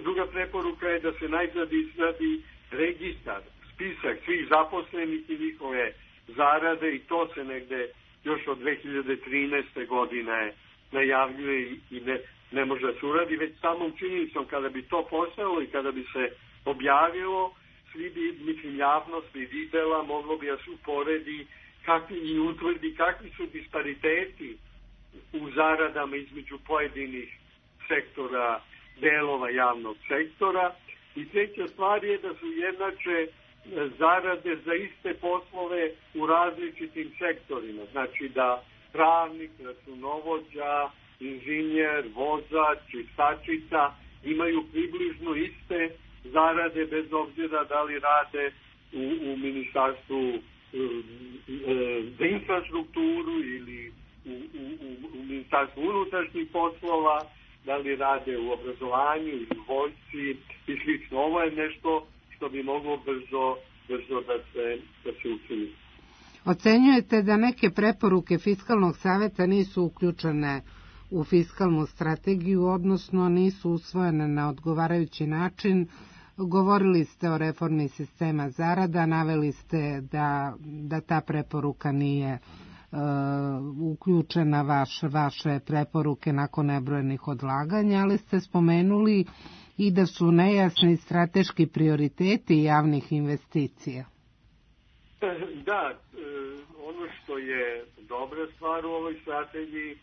Druga preporuka je da se najzad izradi registar, spisak svih zaposlenih i njihove zarade i to se negde još od dve hiljade trinaeste. godine najavljuje i ne, ne može da se uradi, već samom činjenicom kada bi to postalo i kada bi se objavilo, svi bi, mislim, javnost bi videla, moglo bi da se uporedi kakvi, i utvrdi kakvi su dispariteti u zaradama između pojedinih sektora, delova javnog sektora. I treća stvar je da su jednače zarade za iste poslove u različitim sektorima. Znači da pravnik, računovođa, inženjer, vozač, čistačica imaju približno iste zarade bez obzira da li rade u, u ministarstvu za infrastrukturu ili u, u, u ministarstvu unutrašnjih poslova, da li rade u obrazovanju ili u vojsci i slično. Ovo je nešto što bi moglo brzo, brzo da se, da se učini. Ocenjujete da neke preporuke Fiskalnog saveta nisu uključene u fiskalnu strategiju, odnosno nisu usvojene na odgovarajući način. Govorili ste o reformi sistema zarada, naveli ste da, da ta preporuka nije e, uključena vaš, vaše preporuke nakon nebrojenih odlaganja, ali ste spomenuli i da su nejasni strateški prioriteti javnih investicija. Da, ono što je dobra stvar u ovoj strategiji,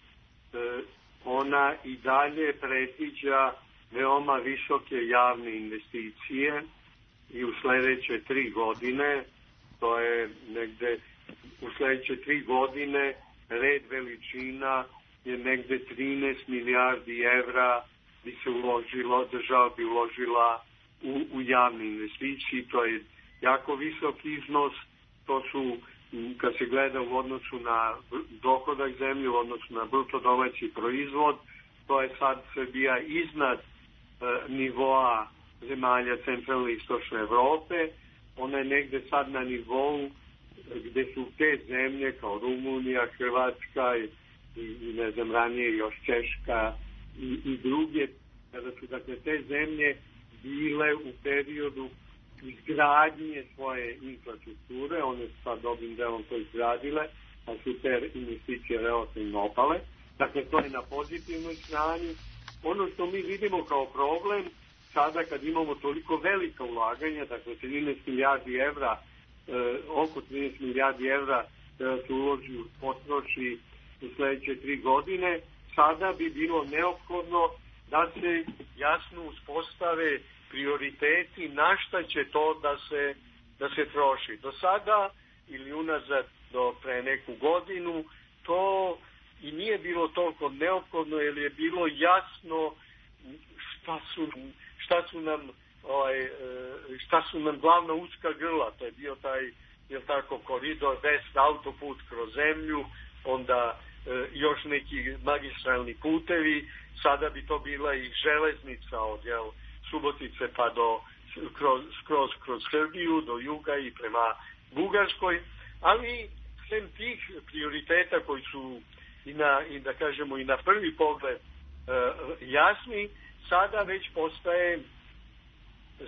ona i dalje predviđa veoma visoke javne investicije i u sledeće tri godine, to je negde u sledeće tri godine red veličina je negde trinaest milijardi evra bi se uložilo, država bi uložila u, u javne investicije, to je jako visok iznos, to su, kad se gleda u odnosu na dohodak zemlje, u odnosu na bruto domaći proizvod, to je sad Srbija iznad e, nivoa zemalja centralne i istočne Evrope, ona je negde sad na nivou gde su te zemlje kao Rumunija, Hrvatska i, i ne znam ranije još Češka i, i druge, kada su dakle te zemlje bile u periodu izgradnje svoje infrastrukture, one su sad dobrim delom to izgradile, a su te investicije relativno opale. Dakle, to je na pozitivnoj strani. Ono što mi vidimo kao problem, sada kad imamo toliko velika ulaganja, dakle trinaest milijardi evra, e, oko trinaest milijardi evra da se uloži u potroši u sledeće tri godine, sada bi bilo neophodno da se jasno uspostave prioriteti na šta će to da se, da se troši. Do sada ili unazad do pre neku godinu to i nije bilo toliko neophodno jer je bilo jasno šta su, šta su nam ovaj, šta su nam glavna uska grla. To je bio taj, je tako, koridor deset, autoput kroz zemlju, onda e, još neki magistralni putevi, sada bi to bila i železnica od jel, Subotice pa do kroz, kroz, kroz Srbiju, do juga i prema Bugarskoj, ali sem tih prioriteta koji su i na, i da kažemo i na prvi pogled e, jasni, sada već postaje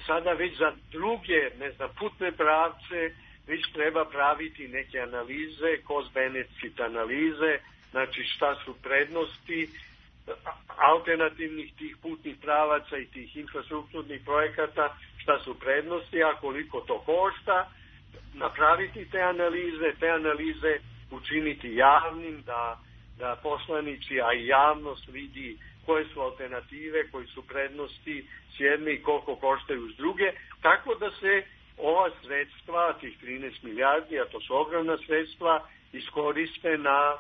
sada već za druge, ne znam, putne pravce već treba praviti neke analize, cost benefit analize, znači šta su prednosti alternativnih tih putnih pravaca i tih infrastrukturnih projekata, šta su prednosti, a koliko to košta, napraviti te analize, te analize učiniti javnim, da, da poslanici, a i javnost vidi koje su alternative, koji su prednosti s jedne i koliko koštaju s druge, tako da se ova sredstva, tih trinaest milijardi, a to su ogromna sredstva, iskoriste na,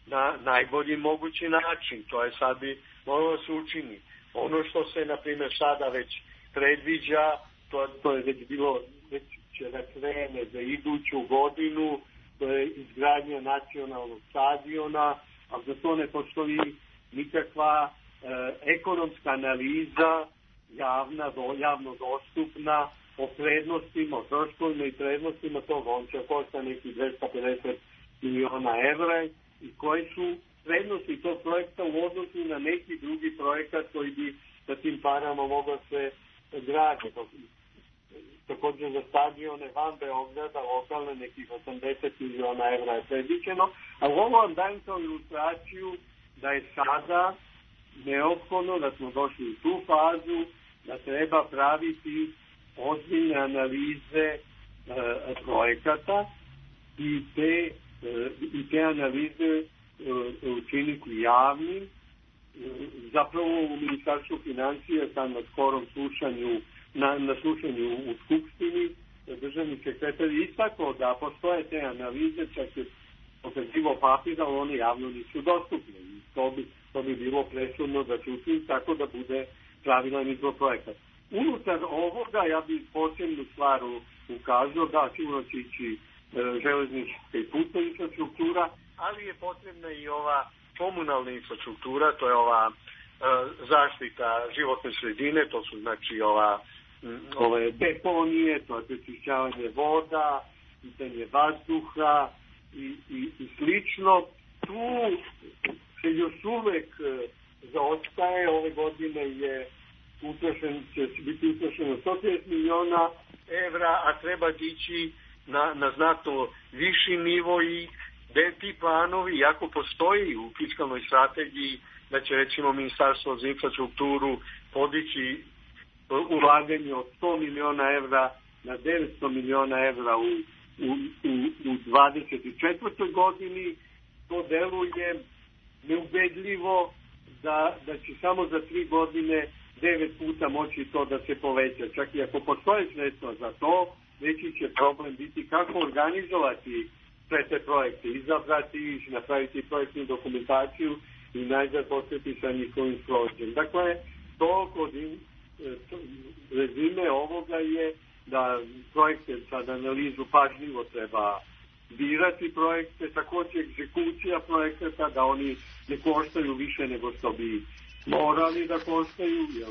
na najbolji mogući način. To je sad bi moralo se učini. Ono što se, na primjer, sada već predviđa, to, to je već bilo, već će da krene za iduću godinu, to je izgradnja nacionalnog stadiona, a za to ne postoji nikakva e, ekonomska analiza javna, do, javno dostupna o prednostima, o troškovima i prednostima toga. On će košta neki dvesta pedeset miliona evra i koji su prednosti tog projekta u odnosu na neki drugi projekat koji bi sa tim parama mogao se graditi. Također za stadione van Beograda lokalne nekih osamdeset miliona evra je predviđeno, a ovo vam dajem kao ilustraciju da je sada neophodno, da smo došli u tu fazu, da treba praviti ozbiljne analize e, projekata i te, e, i te analize e, učiniti javnim. E, zapravo u Ministarstvu financija sam na skorom slušanju Na, na slušanju u Skupštini državni sekretar istakao da postoje te analize, čak je pokazivo papir, ali one javno nisu dostupne. I to bi, to bi bilo presudno da se učini tako da bude pravilan mikroprojekat. Unutar ovoga ja bih posebnu stvar ukazao da sigurno će ići e, železnička i putna infrastruktura, ali je potrebna i ova komunalna infrastruktura, to je ova e, zaštita životne sredine, to su znači ova ove deponije, to je prečišćavanje voda, pitanje vazduha i, i, i slično. Tu se još uvek zaostaje, ove godine je utrošen, će biti utrošeno sto trideset miliona evra, a treba dići na, na znatno viši nivo i gde ti planovi, iako postoji u fiskalnoj strategiji da će recimo Ministarstvo za infrastrukturu podići ulaganje od sto miliona evra na devetsto miliona evra u, u, u, u dvadeset četvrtoj godini, to deluje neubedljivo da, da će samo za tri godine devet puta moći to da se poveća. Čak i ako postoje sredstva za to, veći će problem biti kako organizovati sve te projekte, izabrati ih, napraviti projektnu dokumentaciju i najzad postati sa njihovim sprovođenjem. Dakle, to kod rezime ovoga je da projekte sad analizu pažljivo treba birati projekte, također egzekucija projekata, da oni ne koštaju više nego što bi morali da koštaju, jer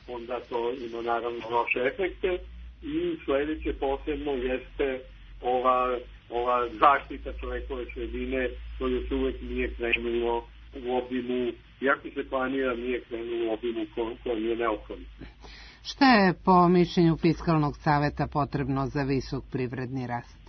onda to ima naravno loše efekte. I sledeće posebno jeste ova, ova zaštita čovekove sredine, to još uvek nije krenulo u obimu, iako se planira, nije krenulo u obimu kojem je neophodno. Šta je po mišljenju Fiskalnog saveta potrebno za visok privredni rast?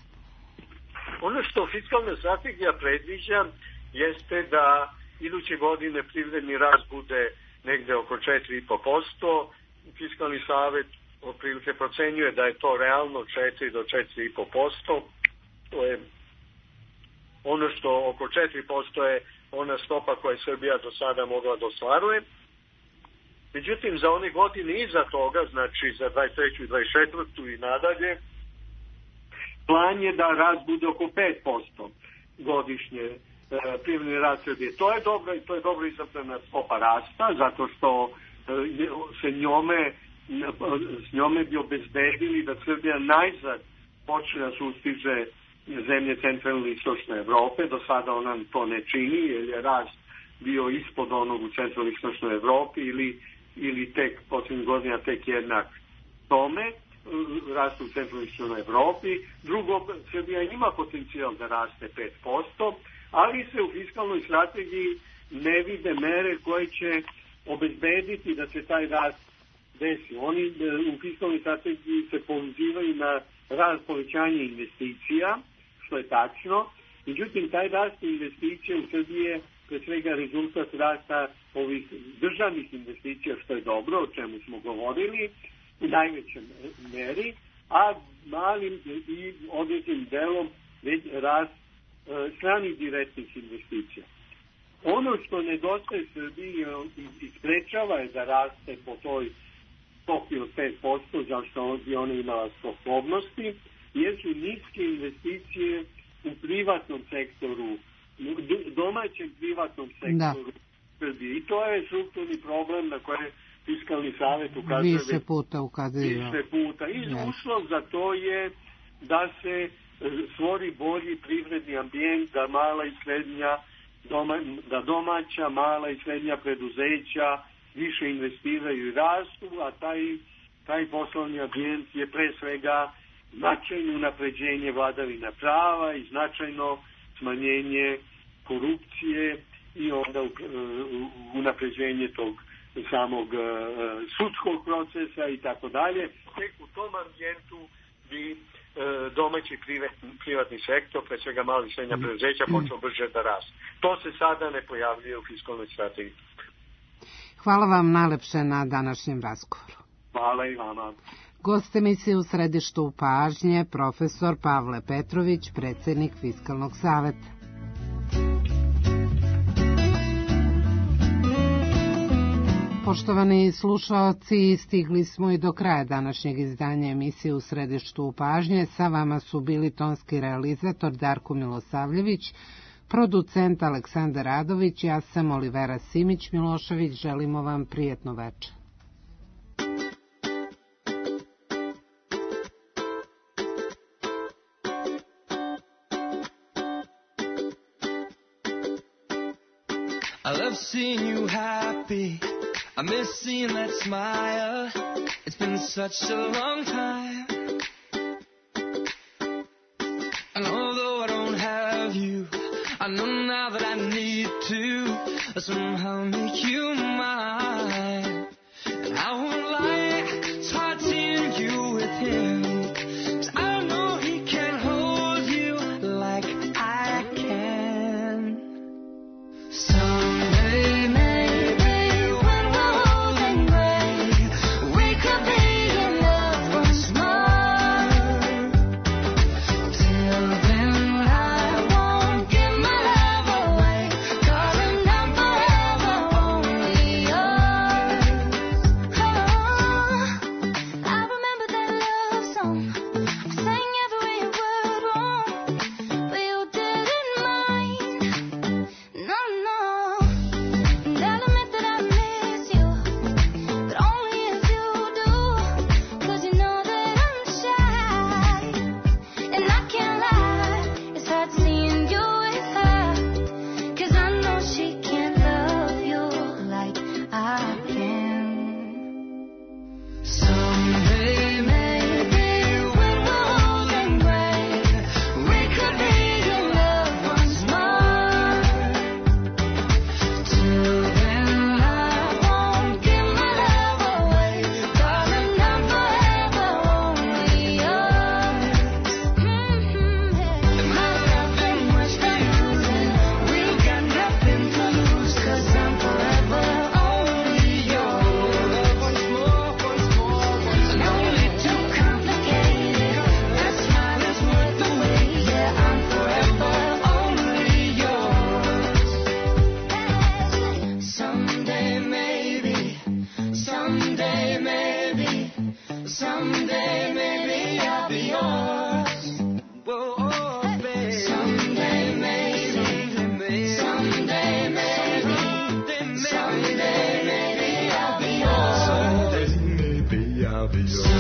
Ono što fiskalna strategija predviđa jeste da iduće godine privredni rast bude negde oko četiri i po posto. Fiskalni savet otprilike procenjuje da je to realno četiri do četiri i po posto. To je ono što oko četiri posto je ona stopa koja je Srbija do sada mogla da ostvaruje. Međutim, za one godine iza toga, znači za dvadeset treću i dvadeset četvrtu i nadalje, plan je da rast bude oko pet posto godišnje e, privredni rast Srbije. To je dobro i to je dobro izabrana stopa rasta, zato što e, se njome, s njome bi obezbedili da Srbija najzad počne da sustiže zemlje centralne i istočne Evrope. Do sada ona to ne čini, jer je rast bio ispod onog u centralnoj i istočnoj Evropi ili, ili tek posljednjih godina tek jednak tome, rastu u centralnoj i istočnoj Evropi. Drugo, Srbija ima potencijal da raste pet posto, ali se u fiskalnoj strategiji ne vide mere koje će obezbediti da se taj rast desi. Oni u fiskalnoj strategiji se pozivaju na rast povećanja investicija, što je tačno. Međutim, taj rast investicija u Srbiji je pre svega rezultat rasta ovih državnih investicija, što je dobro, o čemu smo govorili, u najvećem meri, a malim i određenim delom već rast e, stranih direktnih investicija. Ono što nedostaje Srbiji i sprečava je da raste po toj stopi od pet posto, zašto bi ona imala sposobnosti, jer su niske investicije u privatnom sektoru, u domaćem privatnom sektoru Srbije. I to je strukturni problem na koje Fiskalni savjet ukazuje više puta ukazuje. Više puta. I uslov za to je da se stvori bolji privredni ambijent, da mala i srednja Doma, da domaća, mala i srednja preduzeća više investiraju i rastu, a taj, taj poslovni ambijent je pre svega značajno unapređenje vladavina prava i značajno smanjenje korupcije i onda unapređenje tog samog uh, sudskog procesa i tako dalje. Tek u tom ambijentu bi uh, domaći privatni, privatni sektor, pre svega mali i srednja preduzeća, počeo brže da raste. To se sada ne pojavljuje u fiskalnoj strategiji. Hvala vam najlepše na današnjem razgovoru. Hvala i vama. Gost emisije U središtu pažnje, profesor Pavle Petrović, predsjednik Fiskalnog saveta. Poštovani slušaoci, stigli smo i do kraja današnjeg izdanja emisije U središtu pažnje. Sa vama su bili tonski realizator Darko Milosavljević, producent Aleksandar Radović, ja sam Olivera Simić-Milošević. Želimo vam prijetno večer. I love seeing you happy. I miss seeing that smile. It's been such a long time. And although I don't have you, I know now that I need to somehow make you mine. And I won't lie, it's hard seeing you with him. 'Cause I know he can't hold you like I can. Someday, maybe, when we're old and gray, we could be in love once more. Till then, I won't give my love away, 'cause I'm not forever only yours. Oh, I remember that love song. I sang every word wrong, but you didn't mind. No, no. And I'll admit that I miss you, but only if you do. 'Cause you know that I'm shy, and I can't lie. It's hard seeing you with her, 'cause I know she can't love you like I can. Someday, maybe, when we're old and gray, we could be in love once more. Till then, I won't give my love away, 'cause I'm not forever only yours. Mm-hmm, yeah. And my love ain't much to use, and we've got nothing to lose, 'cause I'm forever only yours. Once more, once more, once more. Only too complicated. That smile is worth the wait. Yeah, I'm forever only yours. Someday, maybe, someday, maybe, someday, maybe I'll be yours. Whoa, oh, baby. Someday, maybe, someday, maybe, someday, maybe I'll be yours. Someday, maybe I'll be yours.